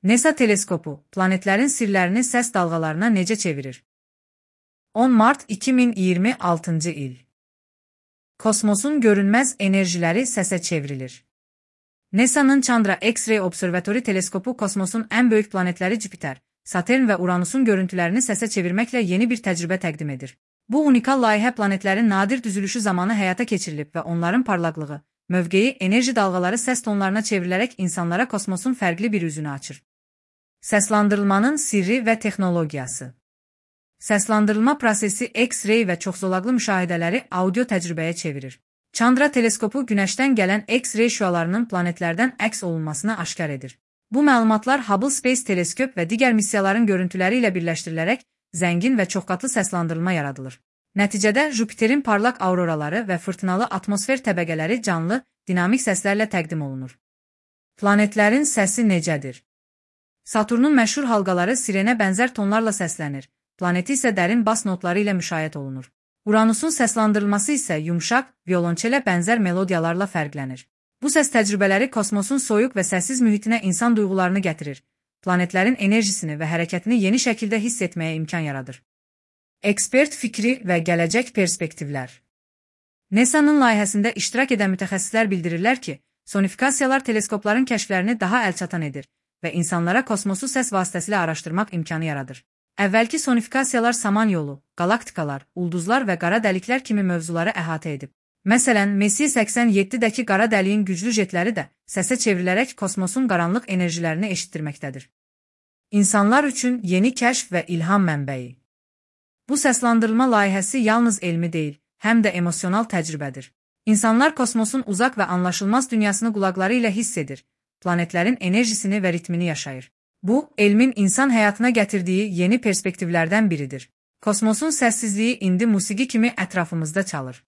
NASA teleskopu planetlərin sirlərini səs dalğalarına necə çevirir? 10 mart 2026-cı il. Kosmosun görünməz enerjiləri səsə çevrilir. NASA'nın Chandra X-ray Observatory teleskopu kosmosun ən böyük planetləri Jüpiter, Satürn və Uranusun görüntülərini səsə çevirməklə yeni bir təcrübə təqdim edir. Bu unikal layihə planetlərin nadir düzülüşü zamanı həyata keçirilib və onların parlaqlığı, mövqeyi, enerji dalğaları səs tonlarına çevrilərək insanlara kosmosun fərqli bir üzünü açır. Səslandırılmanın sirri və texnologiyası. Səslandırılma prosesi X-ray və çoxzolaqlı müşahidələri audio təcrübəyə çevirir. Chandra teleskopu Günəşdən gələn X-ray şüalarının planetlərdən əks olunmasını aşkar edir. Bu məlumatlar Hubble Space Teleskop və digər missiyaların görüntüləri ilə birləşdirilərək zəngin və çoxqatlı səslandırılma yaradılır. Nəticədə Jüpiterin parlaq auroraları və fırtınalı atmosfer təbəqələri canlı, dinamik səslərlə təqdim olunur. Planetlərin səsi necədir? Saturnun məşhur halqaları sirenə bənzər tonlarla səslənir, planeti isə dərin bas notları ilə müşayiət olunur. Uranusun səslandırılması isə yumşaq, violonçelə bənzər melodiyalarla fərqlənir. Bu səs təcrübələri kosmosun soyuq və səssiz mühitinə insan duyğularını gətirir, planetlərin enerjisini və hərəkətini yeni şəkildə hiss etməyə imkan yaradır. Ekspert fikri və gələcək perspektivlər. NASA'nın layihəsində iştirak edən mütəxəssislər bildirirlər ki, sonifikasiyalar teleskopların kəşflərini daha əlçatan edir və insanlara kosmosu səs vasitəsilə araşdırmaq imkanı yaradır. Əvvəlki sonifikasiyalar samanyolu, qalaktikalar, ulduzlar və qara dəliklər kimi mövzuları əhatə edib. Məsələn, Messier 87-dəki qara dəliyin güclü jetləri də səsə çevrilərək kosmosun qaranlıq enerjilərini eşitdirməkdədir. İnsanlar üçün yeni kəşf və ilham mənbəyi. Bu səslandırılma layihəsi yalnız elmi deyil, həm də emosional təcrübədir. İnsanlar kosmosun uzaq və anlaşılmaz dünyasını qulaqları ilə hiss edir, planetlərin enerjisini və ritmini yaşayır. Bu, elmin insan həyatına gətirdiyi yeni perspektivlərdən biridir. Kosmosun səssizliyi indi musiqi kimi ətrafımızda çalır.